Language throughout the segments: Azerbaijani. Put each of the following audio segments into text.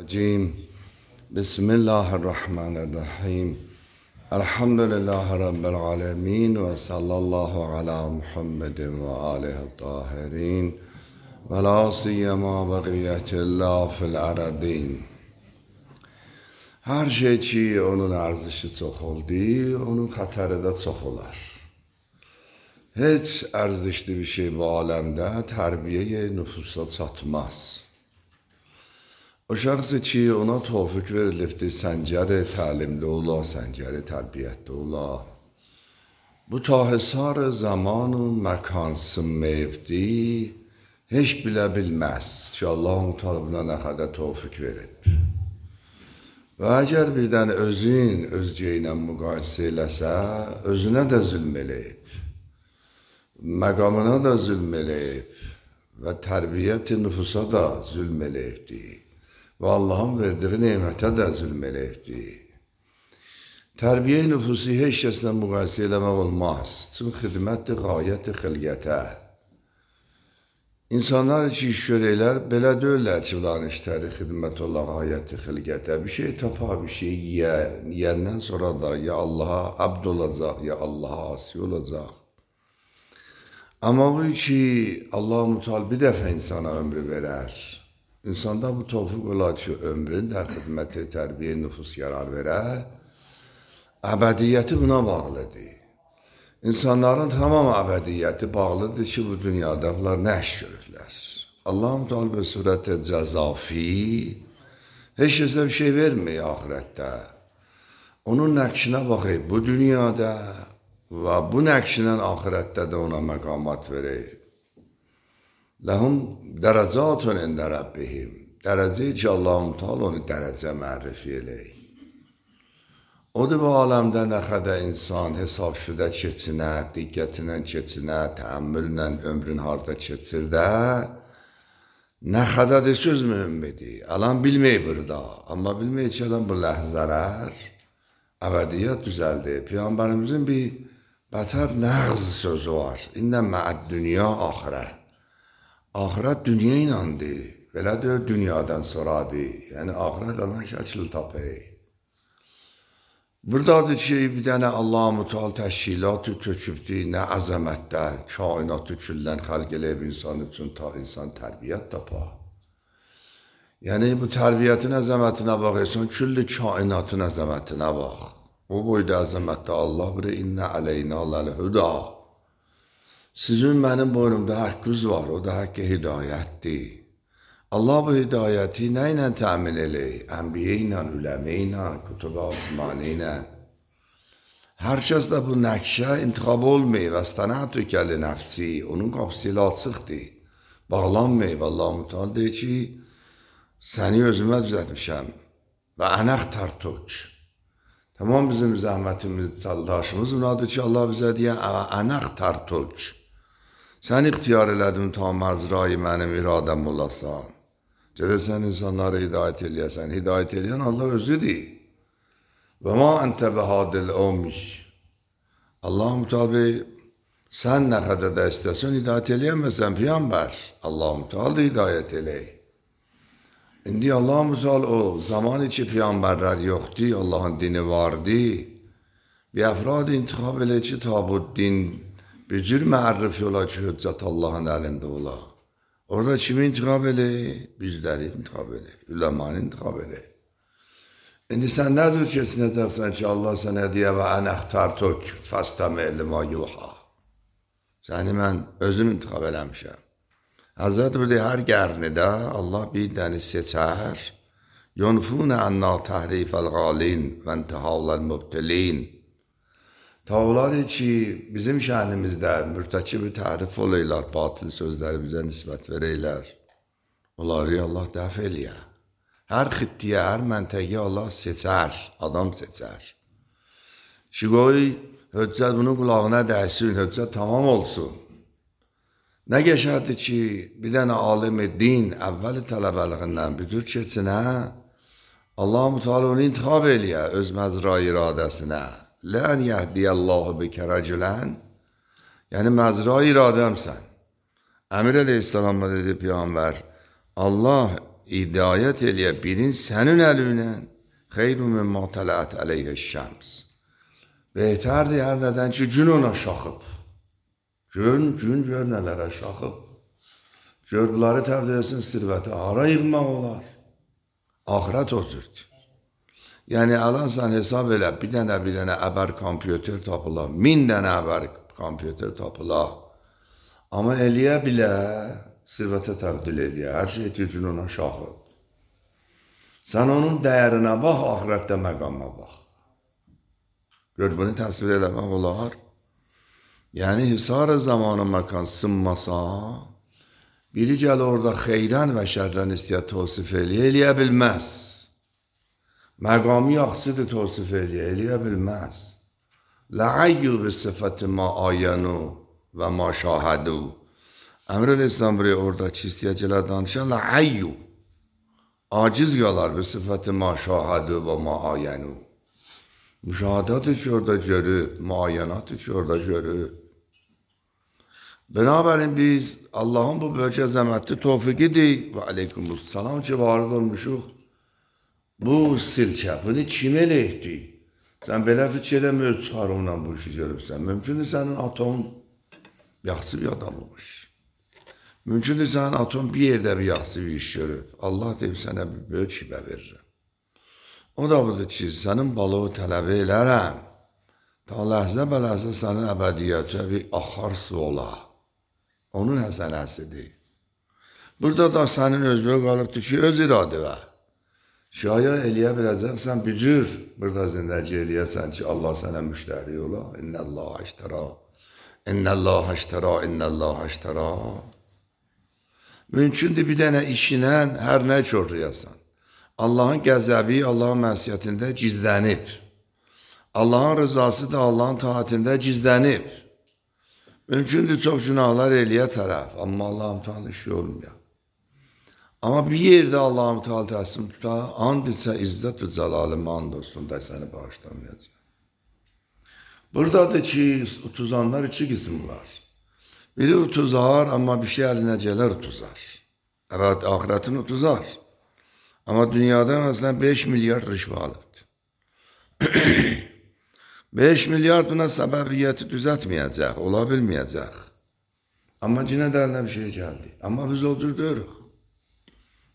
الرجيم بسم الله الرحمن الرحيم الحمد لله رب العالمين وصلى الله على محمد وآله الطاهرين ولا سيما بقية الله في الأرضين. Her şey ki onun arzışı çox oldu, onun xətəri də çox olar. Heç ərzişli bir şey bu aləmdə tərbiyə nüfusa çatmaz. O şəxsi ki ona tövfik verilibdir, səncəri təlimli ola, səncəri tərbiyətli ola. Bu tahisar zamanı məkan sınmayıbdır, heç bilə bilməz ki Allah-u Teala buna nə qədər tövfik verib. Və əgər birdən özün özcə ilə müqayisə eləsə, özünə də zülm eləyib, məqamına da zülm eləyib və tərbiyyət-i nüfusa da zülm eləyibdir. Və Allahın verdiği nemətə də zülm eləyibdir. Tərbiyə-i nüfusi heç kəslə müqayisə eləmək olmaz. Çünki xidmət-i qayət-i xilqətə. İnsanlar ki iş görəklər, belə deyirlər ki, ulan işləri xidmət ola qayət-i xilqətə. Bir şey tapa, bir şey yiyəndən sonra da ya Allaha abd olacaq, ya Allaha asi olacaq. Amma bu ki Allah-u Teala bir dəfə insana ömrü verər. İnsanda bu tövfik olar ki, ömrün der xidməti tərbiyə nüfus yarar verər, əbədiyyəti buna bağlıdır. İnsanların tamam əbədiyyəti bağlıdır ki, bu dünyada bunlar nə iş görürlər. Allah-u Teala bir surət-i cəzafi heç kəsə bir şey vermir ahirətdə. Onun nəqşinə baxıb bu dünyada və bu nəqşinə ahirətdə də ona məqamat verib. Ləhum dərəcatun ində Rabbihim. Dərəcə ki Allah-u Teala onu dərəcə mərrifi eləyir. Odur bu aləmdə nə qədər insan hesab şüdə keçinə, diqqətinə keçinə, təəmmüllə ömrün harda keçir də, nə qədər də söz mühümmidir. Alan bilməyib burada, amma bilməyib ki, alan bu ləhzələr əbədiyyət düzəldi. Peyğəmbərimizin bir bətər nəğz sözü var. İnnə məəd dünya axirə. Ahirət dünya inandı, belə deyir dünyadan sonradır. Yəni ahirət alan şəkil tapır. Buradadır ki, bir dənə Allah-u Teala təşkilatı tökübdür, nə əzəmətdə, kainatı küllən xəlq eləyib insan üçün ta insan tərbiyyət tapar. Yəni bu tərbiyyətin əzəmətinə baxırsan, külli kainatın əzəmətinə bax. O boyda əzəmətdə Allah biri innə əleyna ləl-hüda. Sizin mənim boynumda haqqınız var, o da haqqı hidayətdir. Allah bu hidayəti nə ilə təmin eləyir? Ənbiyə ilə, üləmə ilə, kütub-i osmani ilə. Hər kəs də bu nəqşə intiqab olmayıb, əstənətü kəli nəfsi, onun qapısı ilə açıqdır. Bağlanmayıb, Allah-u Teala deyir ki, səni özümə düzətmişəm və ənəq tərtük. Tamam bizim zəhmətimiz, çaldaşımız bunadır ki, Allah bizə deyən ənəq tərtük. Sən ixtiyar elədin ta məzrayı mənim iradəm olasan. Gedəsən insanları hidayət eləyəsən. Hidayət eləyən Allah özüdür. Və ma əntə bəhadil omiş. Allah-u Teala sən nə qədər də istəsən hidayət eləyəməsən Peyğəmbər. Allah-u Teala hidayət eləyir. İndi Allah-u Teala o zamanı ki Peyğəmbərlər yoxdur, Allahın dini vardı. Bir əfrad intiqab elə ki ta bu din bir cür mərrifi ola ki, hüccət Allahın əlində ola. Orada kimi intiqab eləyir? Bizləri intiqab eləyir, üləmanı intiqab eləyir. İndi sən nə cür keçinəcəksən ki, Allah sənə deyə və ən əxtartök fəstəmə elmə yuha. Səni mən özüm intiqab eləmişəm. Həzrət burada hər qərnidə Allah bir dəni seçər. Yunfunə ənna təhrifəl qalin və intihavləl mübtilin. Tağları ki, bizim şənimizdə mürtəkibi tərif olaylar, batil sözləri bizə nisbət verəylər. Onları Allah dəf eləyər. Hər xittiyə, hər məntəqə Allah seçər, adam seçər. Ki, qoy, höccət bunun qulağına dəysin, höccət tamam olsun. Nə qəşərdir ki, bir dənə alim-i din əvvəli tələbəliğindən büdür keçinə, Allah-u Teala onu intihab eləyər öz məzra iradəsinə. Lən yəhdiyəllahu bikə rəculən, yəni məzra iradəmsən. Əmir əleyhissalamla dedi Peyğəmbər, Allah hidayət eləyə bilin sənin əlinlə xeyru mimma tələət əleyhə şəms. Behterdir hər nədən ki, gün ona şaxıb. Gün gör nələrə şaxıb. Gör bunları təvdə etsin sirvəti, hara yığmaq olar. Ahirət o cürdür. Yəni, alan sən hesab elə, bir dənə əbər kompüter tapıla, 1000 dənə əbər kompüter tapıla. Amma eləyə bilə, sirvətə təbdil eləyə, hər şey gücün ona şaxıb. Sən onun dəyərinə bax, ahirətdə məqama bax. Gör, bunu təsvir eləmək olar. Yəni, hisar-ı zamanı məkan sınmasa, biri gəl orada xeyrən və şərdən istəyət tosif eləyə bilməz. Məqamı yaxçıdır tosif eləyə bilməz. Lə'ayyu bi sıfəti ma ayənu və ma şahədu. Əmr İslam buraya orada çistiyə gələ danışan lə'ayyu. Aciz qalar bi sıfəti ma şahədu və ma ayənu. Müşahadatı ki orada görüb, muayyanatı ki orada görüb. Binabərin biz Allahın bu böyük əzəmətli tövfiqidir və aleykumussalam ki varid olmuşuq. Bu silkə, bunu kim eləyibdir? Sən belə fikir eləmə öz çıxarımla bu işi görürsən. Mümkündür sənin atom yaxşı bir adam olmuş. Mümkündür sənin atom bir yerdə bir yaxşı bir iş görüb. Allah deyib sənə bir böyük hibə verir. O da budur ki, sənin balığı tələbə elərəm. Ta ləhzə bələhzə sənin əbədiyyətə bir axar su ola. Onun həsənəsidir. Burada da sənin özünə qalıbdır ki, öz iradə və. Şaya eləyə biləcəksən, bücür burada zindəci eləyəsən ki, Allah sənə müştəri ola. İnnəllah əştəra, innəllah əştəra, innəllah əştəra. Mümkündür bir dənə işinə hər nə körrəyəsən. Allahın qəzəbi, Allahın mənsiyyətində gizlənib. Allahın rızası da Allahın taatində gizlənib. Mümkündür çox günahlar eləyə tərəf, amma Allah'ım tanı işi olmuyor. Amma bir yerdə Allah'ım taal təslim tutar, and isə izzət-ü cəlalımı and olsun da səni bağışlamayacaq. Buradadır ki, utuzanlar iki qism var. Biri utuzar, amma bir şey əlinə gələr utuzar. Evet, ahiretin utuzar. Ama dünyada mesela 5 milyar rüşvə alıbdır. 5 milyar buna səbəbiyyəti düzəltməyəcək, ola bilməyəcək. Amma yine də əlinə bir şey gəldi. Amma biz o cür deyirik.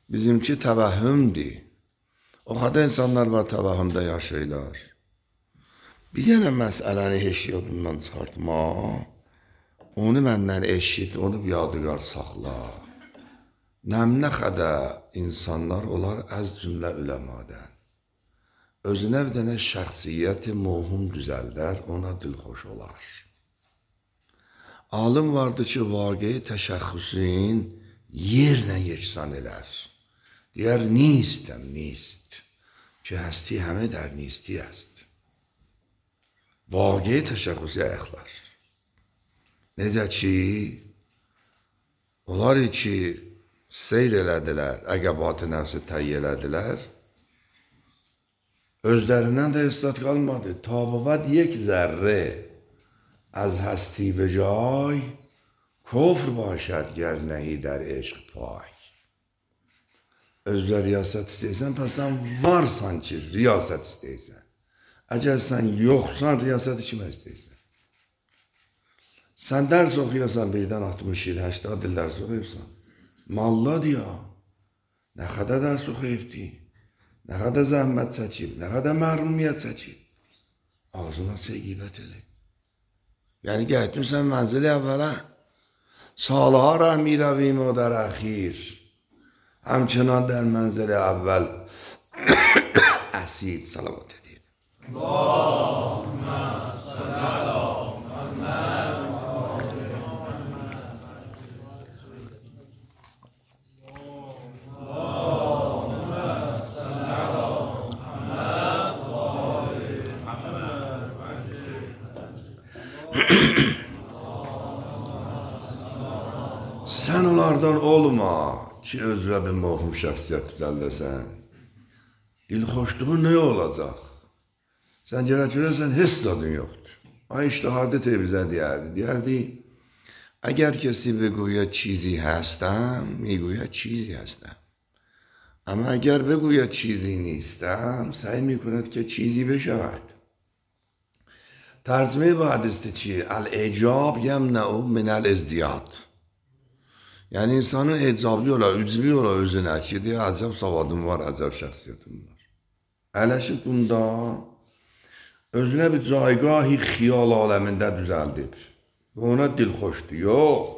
Bizimki təvəhhümdür. O kadar insanlar var təvəhhümdə yaşayırlar. Bir dənə məsələni heç yadından çıxartma, onu məndən eşit, onu bir yadigar saxla. Nəmnə xədə insanlar olar əz cümlə üləmadən. Özünə bir dənə şəxsiyyəti muhum düzəldər, ona dilxoş olar. Alim vardı ki, vaqe təşəxxüsün yerlə yeksan elər. Deyər, nistəm, nist. Ki, həsti həmə dər nisti əst. Vaqe təşəxxüsü ayaqlar. Necə ki, onlar ki, seyr elədilər, əqəbat-ı nəfsi təyi elədilər, özlərindən də istat qalmadı. Tabıvat yek zərre az həsti be cay, kufr başad ger nəhi der eşq pay. Özlər riyasət istəysən, pəs sən varsan ki, riyasət istəysən. Əgər sən yoxsan, riyasəti kimə istəysən? Sən dərs oxuyasan, birdən 60 il, 80 il dərs oxuyursan. Malladır ya, nə qədər dərs oxuyubdi, nə qədər zəhmət çəkib, nə qədər məhrumiyyət çəkib. Ağzına qeybət elə. Yəni, getmirsən mənzili əvvələ, salha rəhmi rəvim o dər əxir, həmçinan der mənzili əvvəl əsid salavat edib. Allahümmə salli ala Muhammed. Sən onlardan olma ki, özünə bir muhum şəxsiyyət düzəldəsən. Dilxoşluğun nə olacaq? Sən görəsən, heç zadın yoxdur. Ay iştihadı tevizə deyərdi. Deyərdi, əgər kesi بگوید چیزی هستم میگوید چیزی هستم. اما اگر بگوید چیزی نیستم سعی میکند که چیزی بشود. ترجمه با حدیث چیه؟ الاعجاب یمنع من الازدیاد. Yani insanın ecablı ola, üzvü ola özünə ki, deyə əcəb savadım var, əcəb şəxsiyyətim var. Ələşib bunda özünə bir caygahı xiyal aləmində düzəldib. Ona dilxoşdur, yox.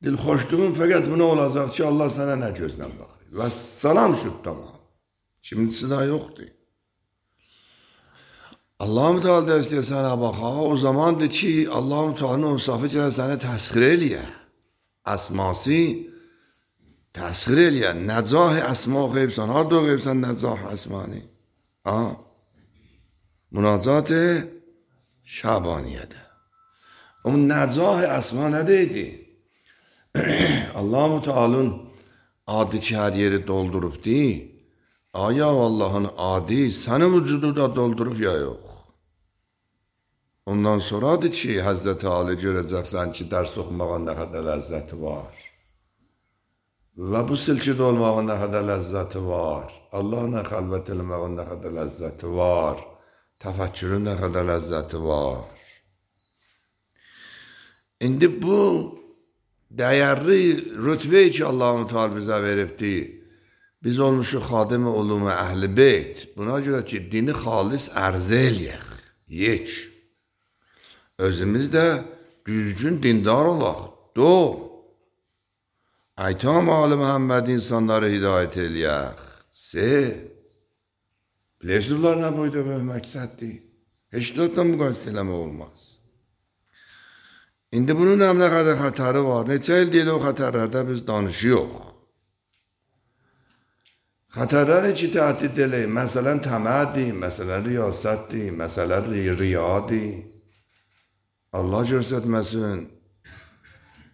Dilxoşluğun fəqət buna olacaq ki, Allah sənə nə gözlə baxır. Və salam şüb tamam. Kimisi də yoxdur. Allah-u Teala da istəyir sənə baxa, o zamandır ki, Allah-u Teala'nın insafı gələ səni təsxir eləyə. اسماسی تسخیر الیا نزاح اسما غیبسان هر دو غیبسان نزاح اسمانی مناجات شعبانیه ده اون نزاح اسما ندیدی Allah-u Teala'nın adi ki her yeri doldurup değil aya Allah'ın adi senin vücudu da doldurup ya yok. Ondan sonradır ki, Həzrəti Ali görəcəksən ki, dərs oxumağın nə qədər ləzzəti var. Və bu silkidə olmağın nə qədər ləzzəti var. Allahla xəlvət eləmağın nə qədər ləzzəti var. Təfəkkürün nə qədər ləzzəti var. İndi bu dəyərli rütbəyi ki, Allah-u Teala bizə veribdi, biz olmuşuq xadim-i ulum-i əhl-i beyt. Buna görə ki, dini xalis ərzə eləyək, yek. Özümüz də düzgün dindar olaq, Aytam Ali Məhəmməd insanları hidayət eləyək. Bilirsizlər nə boyda böyük məqsəddir? Heç də müqayisə eləmək olmaz. İndi bunun nə qədər xətəri var? Neçə il deyil o xətərlərdə biz danışıyıq. Xətərləri ki, təhdid eləyik. Məsələn, təmədir, məsələn, riyasətdir, məsələn, riyadır. Allah göstərməsin,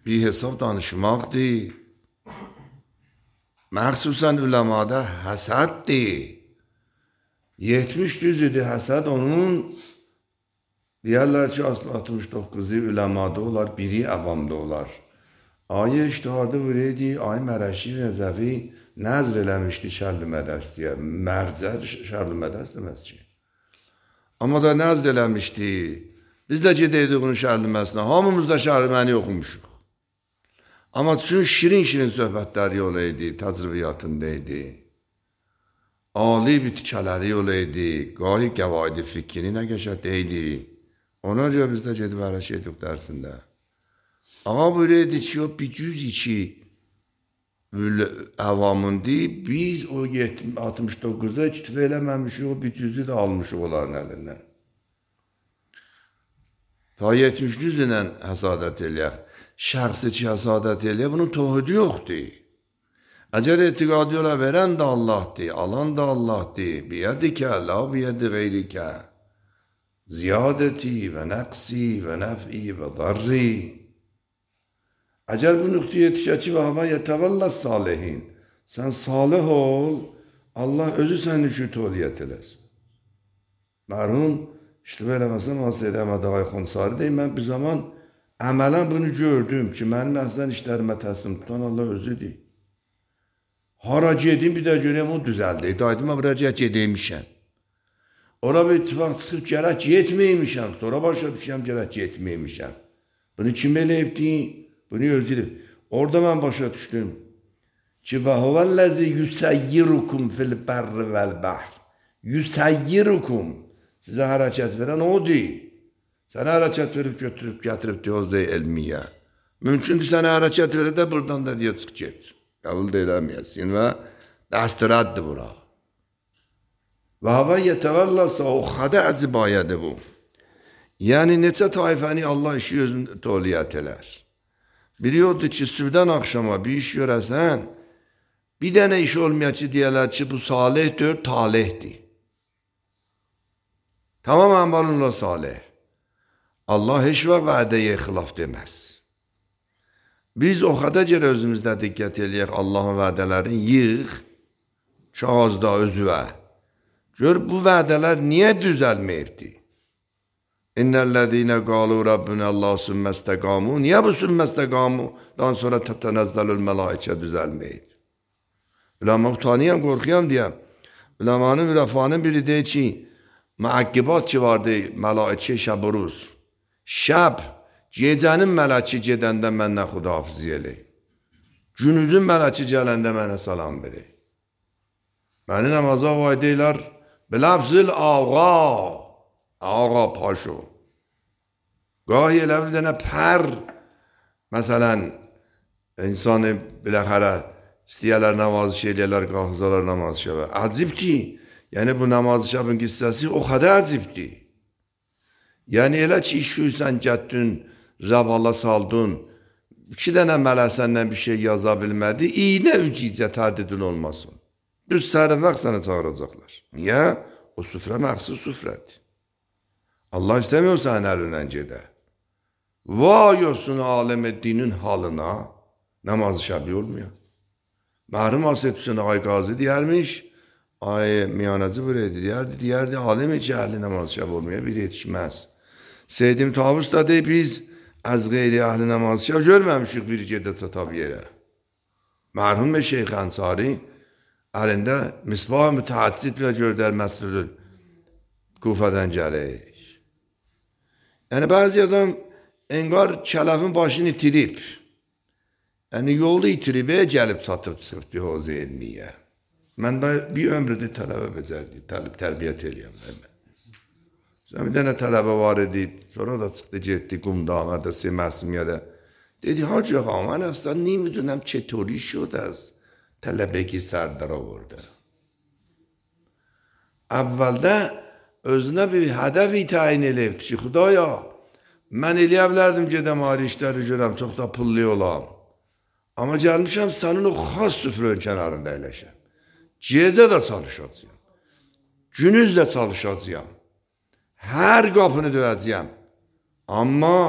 bir hesab danışmaqdır. Məxsusən üləmada həsəddir. 70 cüzüdür həsəd onun, deyərlər ki, 69'u üləmada olar, biri əvamda olar. Ayı iştiharda vureydi, Ayı Mərəşi Rəzəvi nəzr eləmişdi şərli mədəstəyə. Mərcər şərli mədəst deməz ki. Amma da nəzr eləmişdi. Biz də gedəydik onun şərliməsinə. Hamımız da şərliməni oxumuşuq. Amma bütün şirin-şirin söhbətləri olaydı, təcrübiyatındaydı. Ali bitkələri olaydı, qahi qəvaidi fikrini nə qəşətdəydi. Ona görə biz də gedib ərəş ediq dərsində. Ağa buyuraydı ki, o bir cüz iki əvamındı. Biz o 69'da iktifə eləməmişik, o bir cüzü də almışıq onların əlindən. Ta 70 cüzlə həsadət eləyək. Şəxsi ki həsadət eləyək, bunun tohidi yoxdur. Əgər etiqadi ola verən də Allahdır, alan da Allahdır. Biyədikə, la biyədi qeyrikə. Ziyadəti və nəqsi və nəf'i və darri. Əgər bu nöqtəyə yetişə ki, və havə yətəvəllə salihin. Sən salih ol, Allah özü sənin üçün toliyyət eləsin. Mərhum İştibar eləməsəm, Hazreti Əhməd Ağay Xonsari deyim, mən bir zaman əmələn bunu gördüm ki, mənim əhsən işlərimə təslim tutan Allah özüdür. Hara gedim, bir də görəyəm, o düzəldi. Daydıma buraya gedəymişəm. Ora bir ittifaq çıxıb, gərək yetməymişəm. Sonra başa düşəm, gərək yetməymişəm. Bunu kim eləyibdi? Bunu özüdür. Orada mən başa düşdüm ki, və huvəlləzi yüsəyyirukum fil bərri vəl-bəhr. Yüsəyyirukum. Sizə hərəkət verən odur. Sənə hərəkət verib götürüb, gətirib diyozda elmiyə. Mümkündür sənə hərəkət verə də buradan da deyə çıx get. Qəbul da eləməyəsin və dəstirəddir bura. Və havə yetəvəlləsə o xədə əcibayədir bu. Yəni neçə taifəni Allah işi özünü toliyyət elər. Biri odur ki, sübdən axşama bir iş görəsən, bir dənə iş olmaya ki, deyələr ki, bu salihdir, talihdir. Tamamen bununla salih. Allah heç vaxt vədəyə xilaf deməz. Biz o qədər görə özümüzdə diqqət eləyək, Allahın vədələrini yığ, kağızda özüvə. Gör, bu vədələr niyə düzəlməyibdir? İnnəl-ləzīnə qalu Rabbunə Allah sümməstəqamu. Niyə bu sümməstəqamudan sonra tətənəzzəlül mələikə düzəlməyib? Ulema utanıyam, korkuyam diyem. Ulemanın ülefanın biri deyir ki, müakkibat ki vardı melaike şab و روز. Şab, gecənin mələki gedəndə mənlə xudahafizlik eləyir. Günüzün mələki gələndə mənə salam verir. Məni namaza vay deyirlər, bilafzil ağa paşo. Gahi elə bir dənə pər, məsələn, insanı biləxərə istəyərlər namazı eləyərlər, qalxızalar namazı şəbə. Acib ki, yəni bu namazı şəbin qissəsi o qədər acibdir. Yəni elə ki, iş yüzdən gətdün, rəvala saldın, 2 dənə mələk səndən bir şey yaza bilmədi, iynə ücicə tərdidin olmasın. Düz səhərə vaxt səni çağıracaqlar. Niyə? O süfrə məxsus süfrədir. Allah istəmiyor sənin əlindən gedə. Vay olsun aləm dinin halına, namazı şəbi olmuyor. Məhrum Asət Hüseyin Ağay Qazi deyərmiş, ay miyanacı buraydı, deyərdi, aləm-i cəhli namazı şəbi olmuyor, bir yetişməz. Seydim Tavus da deyib, biz az qeyri əhli namazı şəbi görməmişik bir gedə çatab yerə. Mərhum və Şeyx Ənsari əlində misbah mütəhəccid bile gördər məscidin Kufədən gəlir. Yəni bəzi adam engar kələfin başını itirib. Yəni yolda itirib, gəlib çatıb çıxıb bir hozə elmiyə. Mən də bir ömrüdə tələbə becərdi, tərbiyyət eləyəm. Bir dənə tələbə var idi, sonra da çıxdı, getdi Qumdağına da, Məsimiyyədə. Dedi, hacı ağa, mən aslında neymiddünəm çetori şud az tələbəki sərdar olurdu. Əvvəldə özünə bir hədəfi təyin eləyibdi ki, Xudaya, mən eləyə bilərdim gedəm ayrı işləri görəm, çox da pullu olam. Amma gəlmişəm sənin o xas süfrön kənarında eləşəm. Gecə də çalışacağım. Günüz də çalışacağım. Hər qapını döyəcəyəm. Amma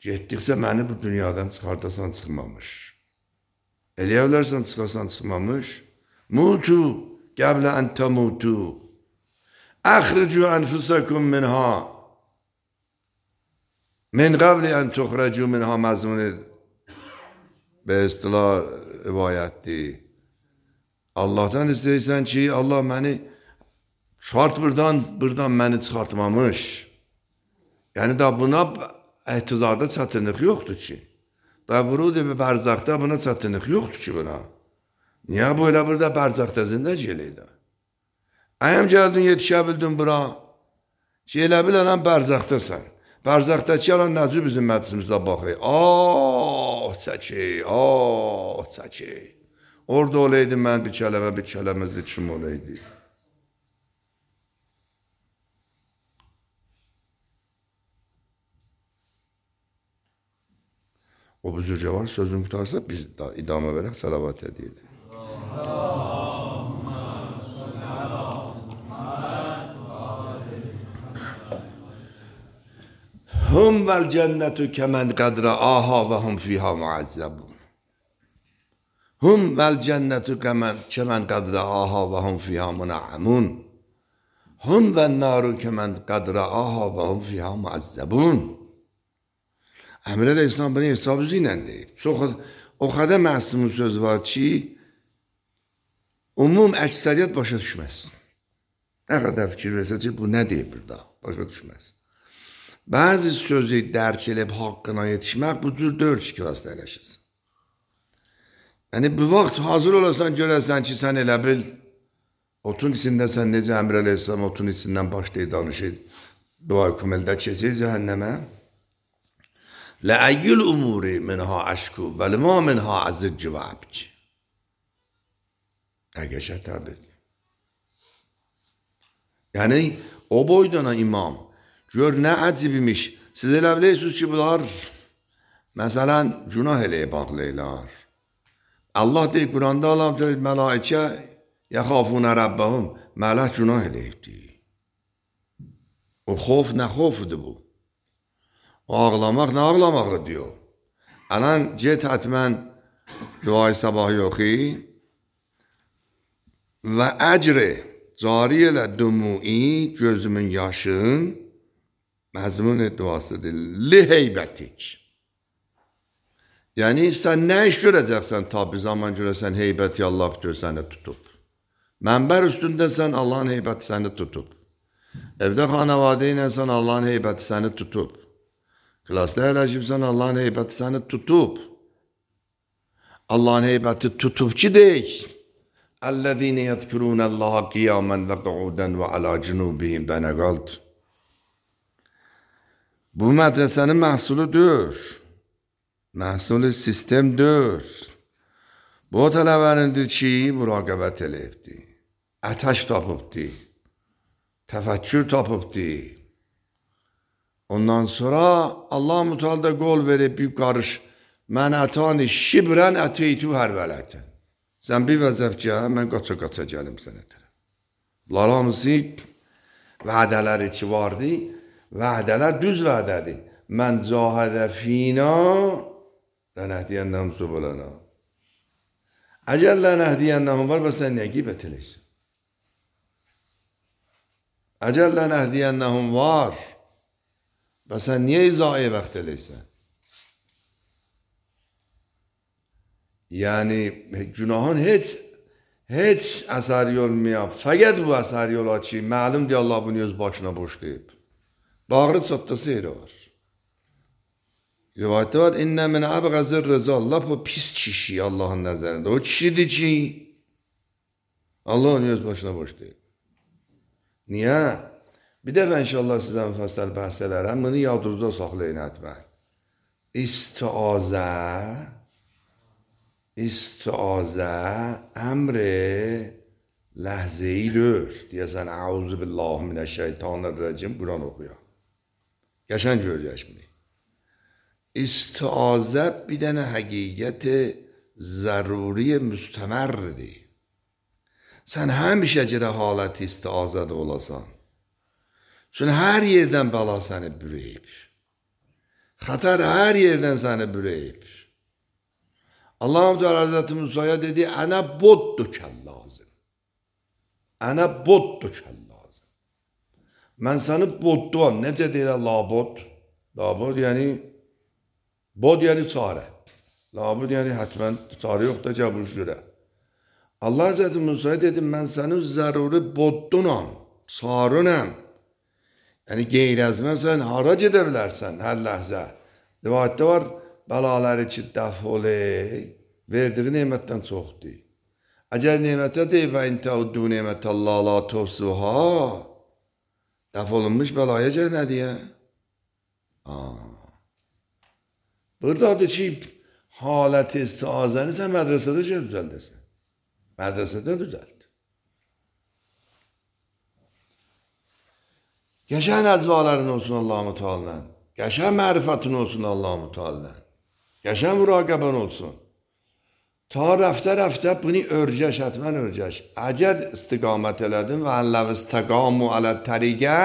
getdikcə məni bu dünyadan çıxardasan çıxmamış. Eləyə bilərsən çıxasan çıxmamış. Mutu qəblə ən təmutu. Əxricu ənfusakum minha. Min qəbli ən tuxracu minha məzmuni be istilah rivayətdir. Allah'tan istəyirsən ki, Allah məni çıxart buradan məni çıxartmamış. Yəni da buna ehtizarda çətinlik yoxdur ki. Da vurud-i bərzaqda buna çətinlik yoxdur ki buna. Niyə bu elə burada bərzaqda zindəc eləydi? Əyəm gəldin, yetişə bildin bura. Ki, elə bilənən bərzaqdasan. Bərzaqdakı yalan nəcü bizim məclisimizdə baxır. Çəki. Orada olaydı mən bir kələmə zikrim olaydı. O büzürcə var, sözün qutarsa biz idamə verək, salavat edirdik. Hum vel cennetu kemen kadra aha ve hum fiha muazzabun. Hum vel cennetu kemen kadra aha ve hum fiha muna'amun. Hum vel naru kemen kadra aha ve hum fiha muazzabun. Əmr Əleyhisselam bunu hesab üzü ilə deyib. O qədər məhsumun söz var ki, əksəriyyət başa düşməsin. Nə qədər fikir versə ki, bu nə deyib burada? Başa düşməsin. Bəzi sözü dərk edib haqqına yetişmək bu cür 4 klasda eləşirsən. Yəni, bu vaxt hazır olasan, görəsən ki, sən elə bil, otun içində sən necə Əmr Əleyhisselam otun içindən başlayıb danışır, dua kumeldə keçir cəhənnəmə. Ləəyyül umuri minha əşku və limə minha əzicci və əbki. Əgəşə təbir. Yəni, o boydana imam, gör nə əcib imiş. Siz elə bilirsiniz ki, bunlar məsələn günah eləyə bağlayırlar. Allah deyir, Quranda Allah deyir, mələikə yəxafunə Rəbbəhum, mələk günah eləyibdir. O xof nə xofudur bu? O ağlamaq nə ağlamağı diyor. Anan get hətmən duayı sabahı oxu və əcri cari elə dumui gözümün yaşın məzmun duasıdır. Li heybətik. Yəni sən nə iş görəcəksən tabi zaman görəsən heybəti Allah bitir səni tutub. Mənbər üstündəsən Allahın heybəti səni tutub. Evdə xanavadə iləsən Allahın heybəti səni tutub. Klasda əyləşibsən Allahın heybəti səni tutub. Allahın heybəti tutub ki deyik. Əllezine yezkurunəllaha qiyamen və qu'udən və alə cunubihim bənə qaldı. Bu mədrəsənin məhsuludur. Məhsulu sistemdir. Bu tələbənindir ki, müraqəbət eləyibdi. Ətəş tapıbdi. Təfəkkür tapıbdi. Ondan sonra Allah müteala qol verib bir qarış mən ətani şibrən əteytu hər vələtən. Sən bir vəzəf gəl, mən qaça gəlim sənə tərəf. Bunlar hamısı vədələri ki vardı. Vədələr düz vədədir. Mən cahidə fina lənəhdiyənnəhum subulana. Əgər lənəhdiyənnəhum var, bəs sən niyə qeybət eləyirsən? Əgər lənəhdiyənnəhum var, bəs sən niyə izahə vaxt eləyirsən? Yəni, günahın heç əsəri olmayan, fəqət bu əsəri ola ki, məlumdur Allah bunu öz başına boşlayıb. Bağrı çatdası yeri var. Rivayətdə var, İnnə min əbğəzir rıza, lap o pis kişi Allahın nəzərində. O kişidir ki, Allah onu öz başına boşlayıb. Niyə? Bir dəfə inşallah sizə müfəssəl bəhs edərəm, bunu yadınızda saxlayın etmək. İstiazə əmri ləhzəyidir. Deyəsən, əuzu billahi minəşşeytanirracim, Quran oxuya. Qəşəng görəcək bunu. İstiazə bir dənə həqiqət zəruri müstəmərdir. Sən həmişə görə halət istiazədə olasan. Çünki hər yerdən bəla səni bürəyib. Xətar hər yerdən səni bürəyib. Allah-u Teala Hazreti Musa'ya dedi, ənə boddukən lazım. Ənə boddukən lazım. Mən səni bodduam. Necə deyirlər labod? Labod yəni, bod yəni çarə. Labod yəni hətmən çarə yox da cəbuş görə. Allah Hazreti Musa'ya dedi, mən sənin zəruri boddunam, sarınam. Yəni qeyr-əzməsən, hara gedə bilərsən hər ləhzə. Rivayətdə var, bəlaları ki, dəf oley, verdiği nemətdən çoxdur. Əgər nemətə deyil və intəuddu nemətəllah la tuhsuha, dəf olunmuş bəlaya gəl nə deyə? Buradadır ki, halət istiazəni sən mədrəsədə düzəldəsən. Mədrəsədə düzəld. Qəşəng əcvaların olsun Allah-u Teala'dan. Qəşəng mərifətin olsun Allah-u Teala'dan. Qəşəng müraqəbən olsun. Ta rəftə bunu örgəş, hətmən örgəş. Əgər istiqamət elədin və əlləv istəqamu alə təriqə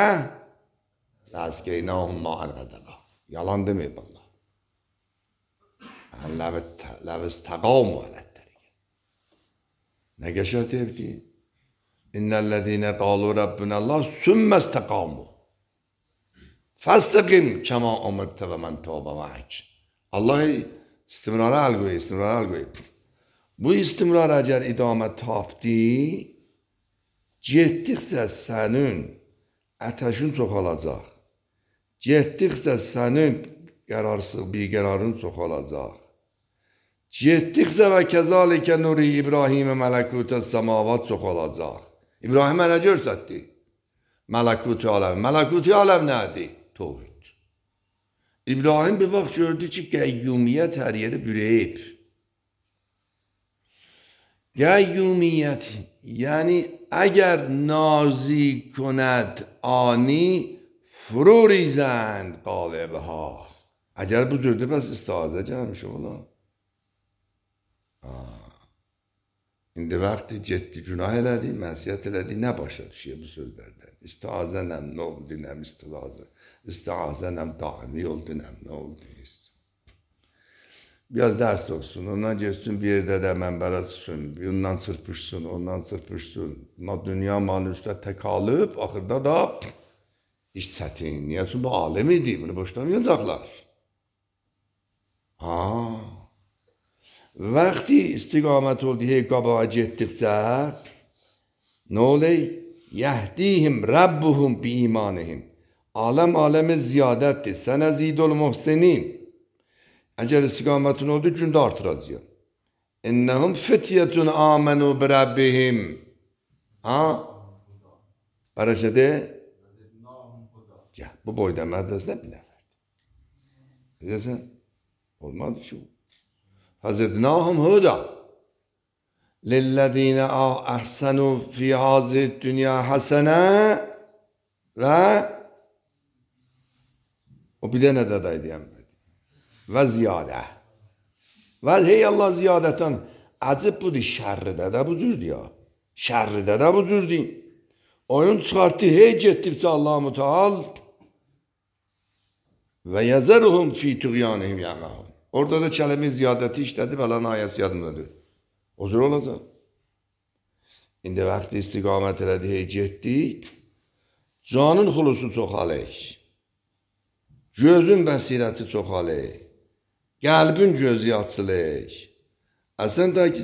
ləzqeynəhum ma'an qədəqa. Yalan deməyib Allah. Əlləv istəqamu alə təriqə. Nə qəşəng deyib ki? İnnəl-ləzīnə qalu Rabbunəllah sümmə istəqamu. Fəstəqim kəma umirtə və mən tövbə məhək. Allah istimrara əl qoyub. Bu istimrar əgər idamət tapdı, getdikcə sənin ətəşin çoxalacaq. Getdikcə sənin biqərarın çoxalacaq. Getdikcə və kəzalikə nuri İbrahimə mələkutə səmavat çoxalacaq. İbrahimə nə görsətdi? Mələkuti aləm. Mələkuti aləm nədir? Tohid. İbrahim bir vaxt gördü ki, qəyyumiyyət hər yeri bürəyib. Qəyyumiyyət, yəni əgər nazi künəd ani frurizənd qalibha. Əgər bu cürdü, bəs istazə gəlmiş ola. İndi vaxtı getdi, günah elədi, mənsiyyət elədi, nə başa düşüyor bu sözlərdən? İstazə nəm, nə oldu, nəm istilazə. İstazə nəm, daimi oldu, nəm, nə oldu? Biraz dərs olsun, ondan geçsin bir yerdə də mənbərə çıxsın, ondan çırpışsın, ondan çırpışsın. Dünya malın üstə təkalıb, axırda da iş çətin. Niyə? Çünki bu alem idi, bunu boşlamayacaqlar. وقتی استقامت oldu هی qabağa getdikcə nə olur? Yehdihim Rabbuhum bi imanihim. Aləm ziyadətdir. Sənə zidul muhsinin. Əgər istiqamətin oldu, gündə artıracaq. İnnəhum fityetun amenu bi Rabbihim. Ha? Bərəşədə? Bu boyda mədrəsədə bir nəfərdir. Bilirsən? Olmadı ki o. Fəzidnahum huda. Lillezine ahsenu fi hazid dünya hasene ve o bir de ne dedi diyeyim. Ve ziyade. Ve hey Allah ziyadeten acib budur şerride de bu cürdü ya. Şerride de bu cürdü. Oyun çıkarttı hey gettirse Allah-u Muteal ve yazaruhum fi tuğyanihim yamahum. Orada da kelime ziyadeti işledi falan ayet yadımdadır. O cür olacaq. İndi vaxtı istiqamət elədi, hey getdik. Canın xulusu çoxalır. Gözün bəsirəti çoxalır. Qəlbin gözü açılır. Əsən də ki,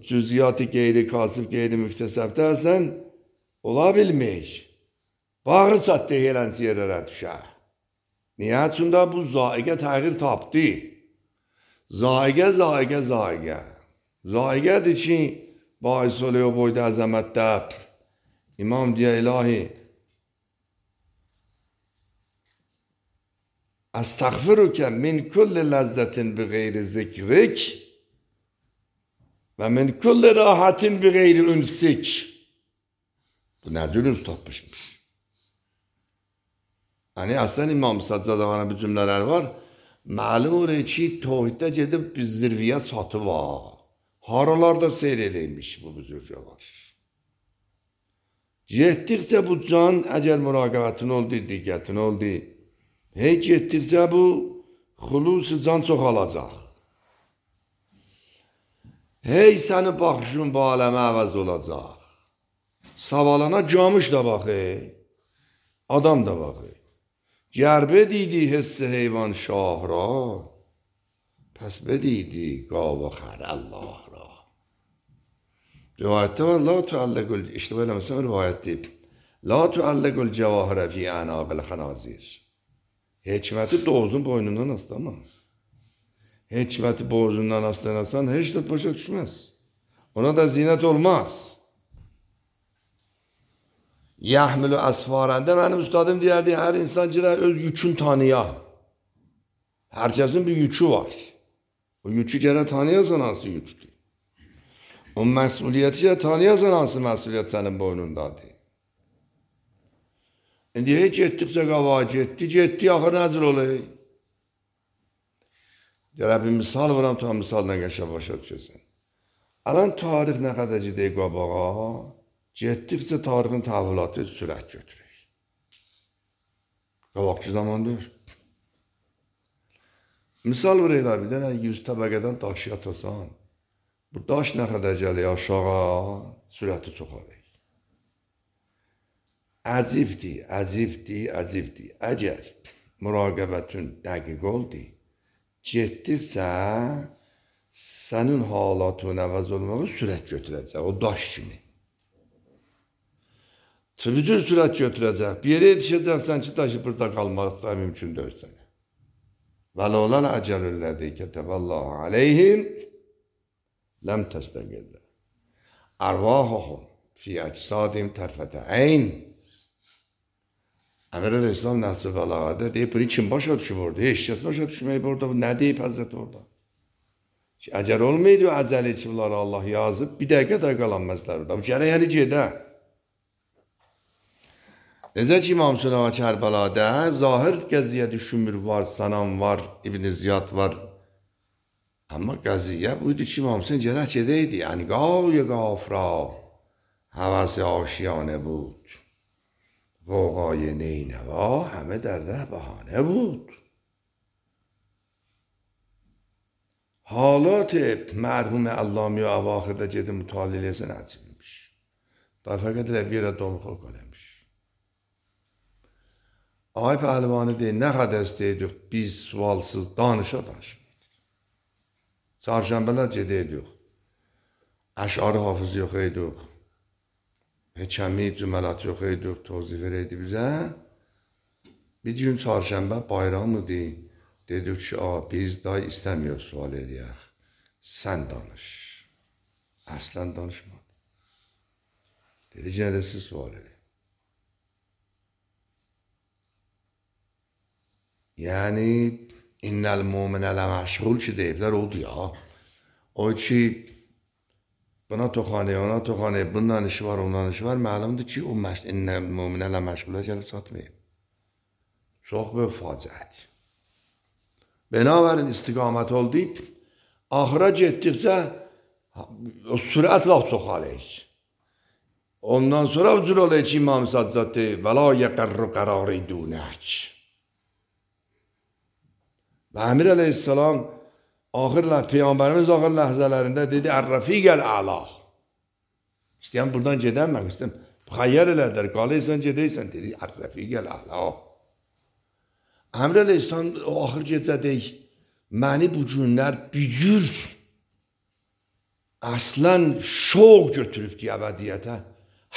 cüziyyatı qeyri kasıb, qeyri müktəsəbdə əsən ola bilmək. Bağı çatdı helənsi yerlərə düşər. Niyə? Çünki bu zaiqə təğyir tapdı. Zaiqə. Zaiqədir ki, bahis oluyor boyda əzəmətdə. İmam deyə ilahi, Əstəğfiruke min kulli ləzzətin bi qeyri zikrik və min kulli rahatin bi qeyri ünsik. Bu nə cür üns tapmışmış. Yəni, əslən İmam Səccadəvanın bu cümlələr var. Məlum olur ki, tohiddə gedib bir zirviyə çatı var. Haralarda seyr eləymiş bu büzürgələr. Getdikcə bu can, əgər müraqəbətin oldu, diqqətin oldu, hey getdikcə bu xulusi can çoxalacaq. Hey sənin baxışın bu aləmə əvəz olacaq. Savalana camış da baxır, adam da baxır. گر بدیدی حس حیوان شاه را پس بدیدی گاو و خر الله را. Rivayette var. La tuallegul, işte böyle mesela rivayet deyip. La tuallegul cevahire fi anabil hanazir. Hikmeti doğuzun boynundan aslama. Hikmeti boğazından aslanasan hiç de başa düşmez. Ona da zinet olmaz. Yahmilu asfarende benim üstadım deyərdi, her insan girər öz yükün tanıya. Herkesin bir yükü var. O yükü gərək tanıyasan hansı yükdür. O məsuliyyəti gərək tanıyasan hansı məsuliyyət sənin boynundadır. İndi heç getdikcə qavağa getdi, axır nəcür olur? Gərək bir misal vuram, ta misaldan qəşə başa düşəsən. Alan tarix nə qədər gedək qabağa, getdikcə tarixin təhvilatı sürət götürək. Qabaqçı zamandır. Misal verəylər, bir dənə 100 təbəqədən daşı atasan, bu daş nə qədər gəlir aşağı, sürəti çoxalır. Əcibdir. Əgər müraqəbətin dəqiq oldu, getdikcə sənin halatın əvəz olmağı sürət götürəcək, o daş kimi. Bütün sürət götürəcək. Bir yerə yetişəcəksən ki, daşı burada qalmaq da mümkün deyil sənə. Və lolən əcəlüllədi kətəbəllahu aleyhim ləm təstəqillə. Ərvahəhum fi əcsadim tərfətə əyn. Əmir el-İslam Nəhcə Bəlağədə deyib, bunu kim başa düşüb orada? Heç kəs başa düşməyib orada. Nə deyib Həzrət orada? Ki, əgər olmaydı o əcəli ki, bunları Allah yazıb, bir dəqiqə də qalanməzlər orada. Bu gərək yəni gedə. Necə ki, İmam Sünava Kərbəladə zahir qəziyyə düşünmür var, Sanam var, İbn-i Ziyad var. Amma qəziyyə buydu ki, İmam Hüseyin gərək gedəydi. Yəni, qavyə qafra, həvəsi aşiyanə bud. غوغای نینوا همه در ره بهانه بود. حالات مرحوم علامی و اواخر جد مطالعه سن عجیبmiş. Daha fakat bir adam kalmış. Ay pəhlivanı deyir, nə qədər istəyirdik biz sualsız danışa. Çarşambələr gedəydik. Əşarı hafız yox eydik. Həkəmi, cüməlat yox eydik. Tozif verəydi bizə. Bir gün çarşəmbə bayram idi. Dedik ki, biz day istəmiyoruz sual edəyək. Sən danış. Əslən danışmadı. Dedi ki, nədə siz sual edək. Yəni, innəl muminələ məşğul ki deyiblər, oldu ya. O ki, buna toxanı, ona toxanı, bundan işi var, ondan işi var. Məlumdur ki, o innəl muminələ məşğulə gəlib çatmayıb. Çox böyük faciədir. Binabərin istiqamət oldu. Axıra getdikcə o sürətlə çoxalıyıq. Ondan sonra ucur olayıq ki, İmam Sadzad deyir, və la yəqərru qərari dunək. Və Əmir əleyhissalam Peyğəmbərimiz axır ləhzələrində dedi, Ər-Rəfiqəl əla. İstəyən buradan gedəm, mən istəyəm. Xəyyər elədər, qalıysan, gedəysən, dedi, Ər-Rəfiqəl əla. Əmr əleyhissalam o axır gecədək, məni bu günlər bücür, əslən şoq götürübdü əbədiyyətə.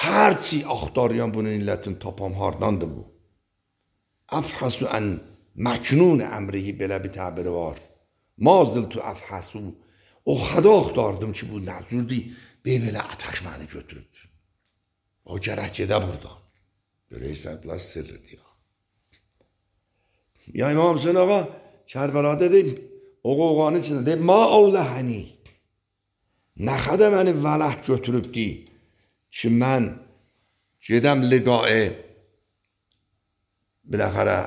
Hərçi axtarayan bunun illətini tapam, hardandır bu? Əfhəsu ən məknun əmrihi belə bir təbiri var. Maziltu əfhəsu. O xəda axtardım ki, bu nəzurdur, belə atəş məni götürüb. O gərək gedə buradan. Görəysən, biraz sirridir ya. Ya İmam Hüseyin ağa, Kərbəlada deyim, o qoğanın içində deyim, ma avləhəni. Nə xədə məni vələh götürübdi ki, mən gedəm liqaə biləxərə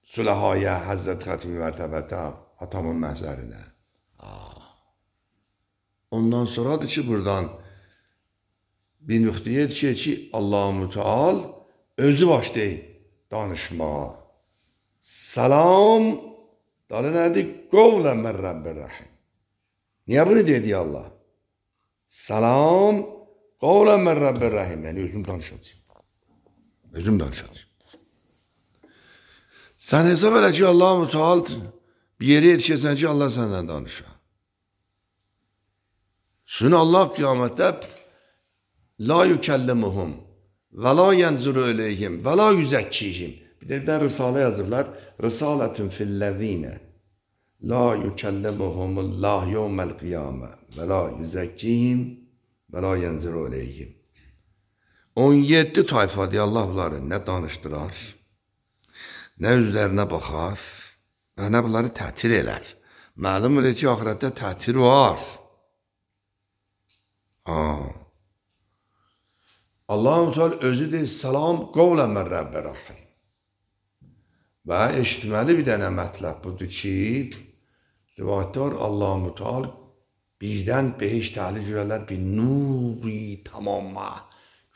Süləhaya Həzrət Xətmi Mərtəbətə atamın məhzərinə. Ondan sonradır ki, buradan bir nöqtəyə yetişir ki, Allah-u Müteal özü başlayır danışmağa. Salam, dalı nədir? Qovlən mən Rəbbir-Rəhim. Niyə bunu dedi Allah? Salam, qovlən mən Rəbbir-Rəhim. Yəni, özüm danışacağım. Özüm danışacağım. Sən hesab elə ki, Allah-u Müteal bir yere yetişirsən ki, Allah səndən danışa. Çünki Allah qiyamətdə la yükəllimuhum və la yənzuru eləyhim və la yüzəkkihim. Bir də Risalə yazırlar. Risalətün filləzinə la yükəllimuhumullah yevməl qiyamə və la yüzəkkihim və la yənzuru eləyhim. 17 tayfadır Allah bunları nə danışdırar, nə üzlərinə baxar və nə bunları tətir elər. Məlum elə ki, axirətdə tətir var. Allah-u Teala özü deyir, salam qovlən mən Rəbbir-Rəhim. Və eşitməli bir dənə mətləb budur ki, rivayətdə var, Allah-u Teala birdən behiş təhlil görərlər, bir nuri tamamma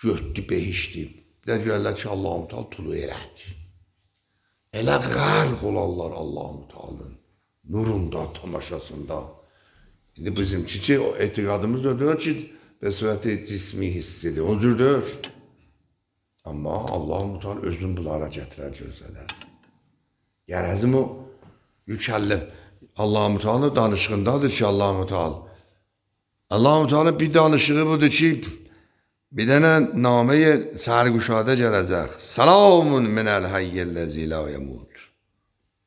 götdü behişdir. Bir də görərlər ki, Allah-u Teala tulu elədi. Elə qərq olarlar Allah-u Teala'nın nurunda, tamaşasında. İndi bizimki ki, o etiqadımız ödür ki, və surəti cismi hissidir, o cürdür. Amma Allah-u Teala özün bunlara gətirər, gözələr. Gərəzim o yükəllim. Allah-u Teala danışığındadır ki, Allah-u Teala. Allah-u Teala bir danışığı budur ki, bir dənə naməyə sərquşadə gələcək. Salamun minəl hayyəlləzi la yəmud.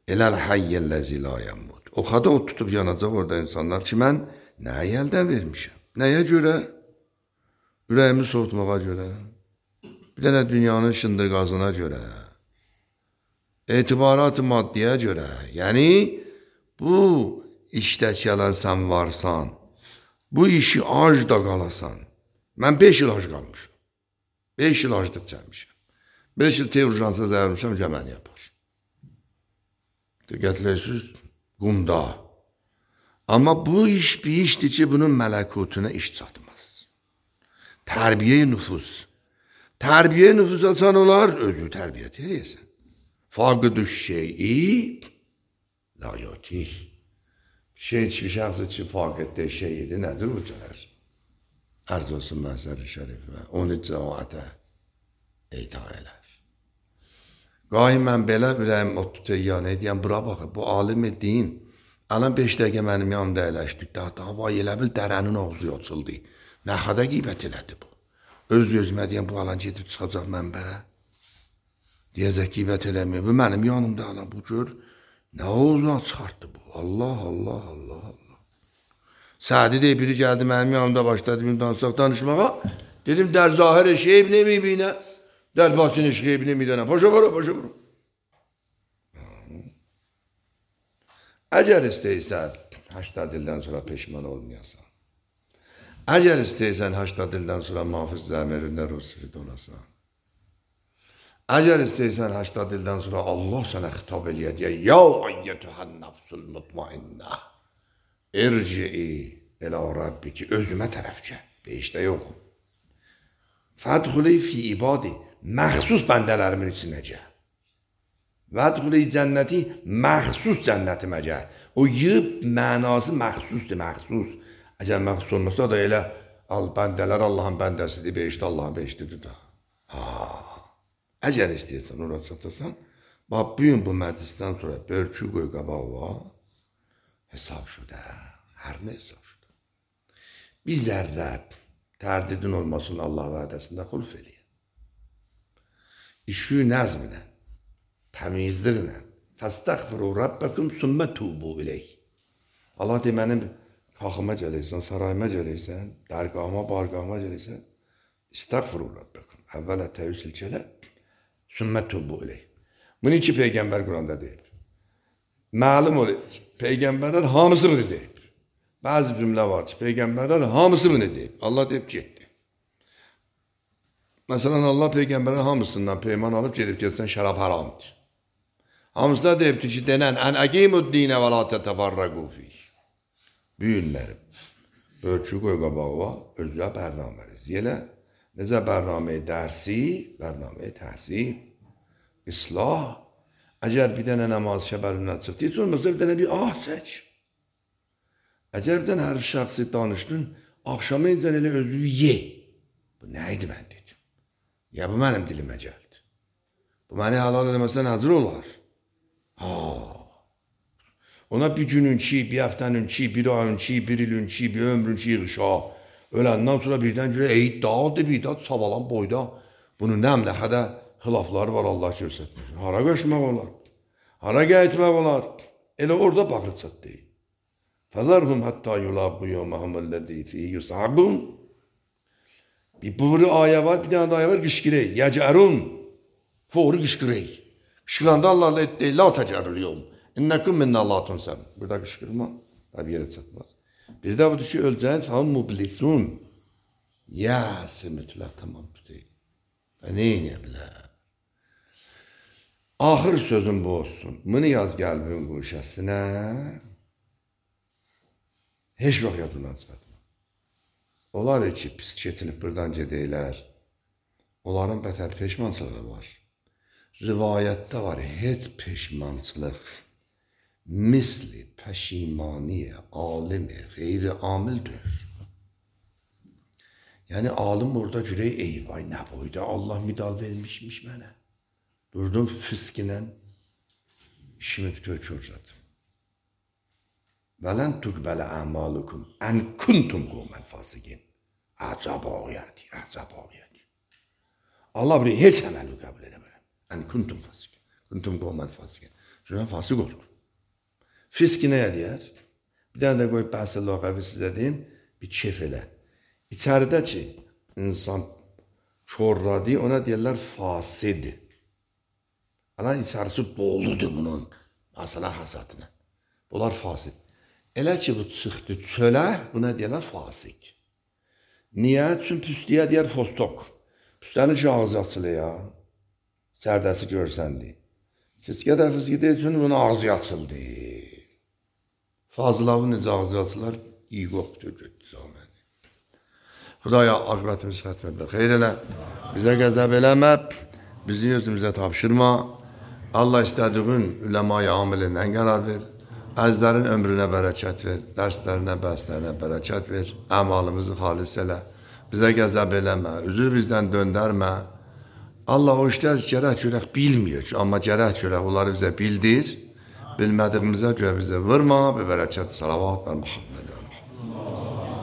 Eləl hayyəlləzi la yəmud. O xada o tutub yanacaq orada insanlar ki, mən nəyə əldən vermişəm? Nəyə görə? Ürəyimi soğutmağa görə. Bir dənə dünyanın şındırqazına görə. Etibarat-ı maddiyə görə. Yəni, bu işdə gələn sən varsan, bu işi ac da qalasan. Mən 5 il ac qalmışım. 5 il aclıq çəkmişəm. 5 il urjansa zəyirmişəm, cəməni yapar. Diqqətləyirsiniz, qumda. Amma bu iş bir işdir ki, bunun mələkutuna iş çatmaz. Tərbiyə-i nüfus. Tərbiyə-i nüfus açan olar, özü tərbiyyət eləyəsən. Faqıdü şeyi la yotih. Şey ki, şəxsi ki, faqiddə şeyidir, nədir bu gələr? Ərz olsun Məhzər-i Şərifə, onu cəmaətə eyta elər. Qahi mən belə ürəyim o tutayyan edəyəm, bura baxı, bu alim din, Alan 5 dəqiqə mənim yanımda əyləşdik. Daha vay elə bil dərənin ağzı açıldı. Nə xada qeybət elədi bu. Öz-özümə deyəm, bu alan gedib çıxacaq mənbərə. Deyəcək qeybət eləmir. Bu mənim yanımda alan bu gör. Nə ağzı çıxartdı bu. Allah, Allah, Allah, Allah. Sadi deyə biri gəldi mənim yanımda başladı bir danışmağa. Dedim, der zahir şeyb nemibinə, der batın şeyb nemidənə. Paşa vura, paşa vura. Əgər istəyirsən, 80 ildən sonra peşman olmayasan. Əgər istəyirsən, 80 ildən sonra Muhafiz Zəmirində Rusifid olasan. Əgər istəyirsən, 80 ildən sonra Allah sənə xitab eləyəcək. Ya ayyətühən nəfsul mutmainnə. İrci'i elə Rabbi ki, özümə tərəf gəl. Beşdə yox. Fədxuli fi ibadi. Məxsus bəndələrimin içinə gəl. Vədxuli cənnəti, məxsus cənnətimə gəl. O yığ mənası məxsusdur, məxsus. Əgər məxsus olmasa da elə bəndələr Allahın bəndəsidir, beşdə Allahın beşdidir da. Əgər istəyirsən, ora çatasan, bax, bugün bu məclisdən sonra bölçü qoy qabağı var, hesab şudə, hər nə hesab şudə. Bir zərrə tərdidin olmasın Allah vədəsində xulf eləyir. İşü nəzminə, təmizliklə, fəstəğfiru Rabbəkum sümmə tubu iləyh. Allah deyir, mənim qalxıma gələysən, sarayıma gələysən, dərgahıma, bargahıma gələysən, istəğfiru Rabbəkum. Əvvələ təvəssül kələ, sümmə tubu iləyh. Bunu iki Peyğəmbər Quranda deyib. Məlum olur, Peyğəmbərlər hamısı bunu deyib. Bəzi cümlə var ki, Peyğəmbərlər hamısı bunu deyib. Allah deyib getdi. Məsələn, Allah Peyğəmbərlər hamısından peyman alıb gedib getsən şərab haramdır. Hamısına deyibdir ki, denən, ən əqimud dinə və la tətəfarrəqu fih. Büyünlərim, bölçü qoy qabağı var, özlə bərnaməli. Yelə, necə bərnaməyi dərsi, bərnaməyi təhsil, islah. Əgər bir dənə namaz şəbərindən çıxdı, heç olmazsa bir dənə bir çək. Əgər bir dənə hər şəxsi danışdın, axşama incən elə özlüyü ye. Bu nə idi mən dedim. Ya bu mənim dilimə gəldi. Bu məni halal eləməsən hazır olar. Ona bir günün ki, bir həftənin ki, bir ayın ki, bir ilin ki, bir ömrün ki, yığışa. Öləndən sonra birdən görə, dağdı, bir dağ, savalan boyda. Bunun nə əmləxədə xilafları var, Allah görsətmir. Hara qoşmaq olar? Hara qayıtmaq olar? Elə orada baxır çat deyil. Fəzərhum həttə yulabbu yevməhuməlləzi fihi yusabun. Bir buri ayə var, bir dənə də ayə var, qışqırey. Yəcərun. Fori qışqırey. Qışqıranda Allah'la etdeyi, la təcərrülüyum. İnnəkum minnə Allah tunsəm. Burada qışqırma, tabi yerə çatmaz. Bir də budur ki, öləcəyin fəhəm mublisun. Yəsi mütləq tamam tutayım. Neyinə bilər? Axır sözüm bu olsun. Bunu yaz qəlbin quşəsinə. Heç vaxt yadından çıxartma. Onlar ki, pis keçinib buradan gedəylər. Onların bətər peşmançılığı var. Rivayətdə var, heç peşmançılıq misli pəşimaniyə, alimi, qeyri amildir. Yəni, alim orada görək, eyvay, nə boyda, Allah müdal vermişmiş mənə. Durdum fiskinə, işimi bütöy körcədim. Vələn tuqbələ əmalukum, ən kuntum qovmən fasiqin. Əcəb ağiyədi, əcəb ağiyədi. Allah buraya heç əməli qəbul edəmərəm. Ən kuntum fasiqin, kuntum qovmən fasiqin. Çünkü fasıq oldu. Fiski nəyə deyər? Bir dənə də qoyub bəhsə lağəvi sizə deyim, bir kef elə. İçəridə ki, insan çorradı, ona deyərlər fasidi. Ana içərisi boludur bunun, məsələ hasatına. Bunlar fasid. Elə ki, bu çıxdı çölə, buna deyərlər fasik. Niyə? Çünki püstüyə deyər fostok. Püstənin ki, ağzı açılı ya. Sərdəsi görsəndi. Fiskə də fiski deyil, çünki bunun ağzı açıldı. Fazılavın necə ağzı açılar, iyi qoxdur, götdü zaməni. Xudaya aqibətimizi xətm etmə. Xeyr elə, bizə qəzəb eləmə, bizi özümüzə tapşırma. Allah istədiğin üləma-i amilindən qərar ver. Əzlərin ömrünə bərəkət ver, dərslərinə, bəslərinə bərəkət ver. Əmalımızı xalis elə. Bizə qəzəb eləmə, üzü bizdən döndərmə. Allah o işlər gərək görək bilmiyor ki, amma gərək görək onları bizə bildir. bilmədiyimizə görə bizə vurma. Be bərəkət salavat və Muhammed.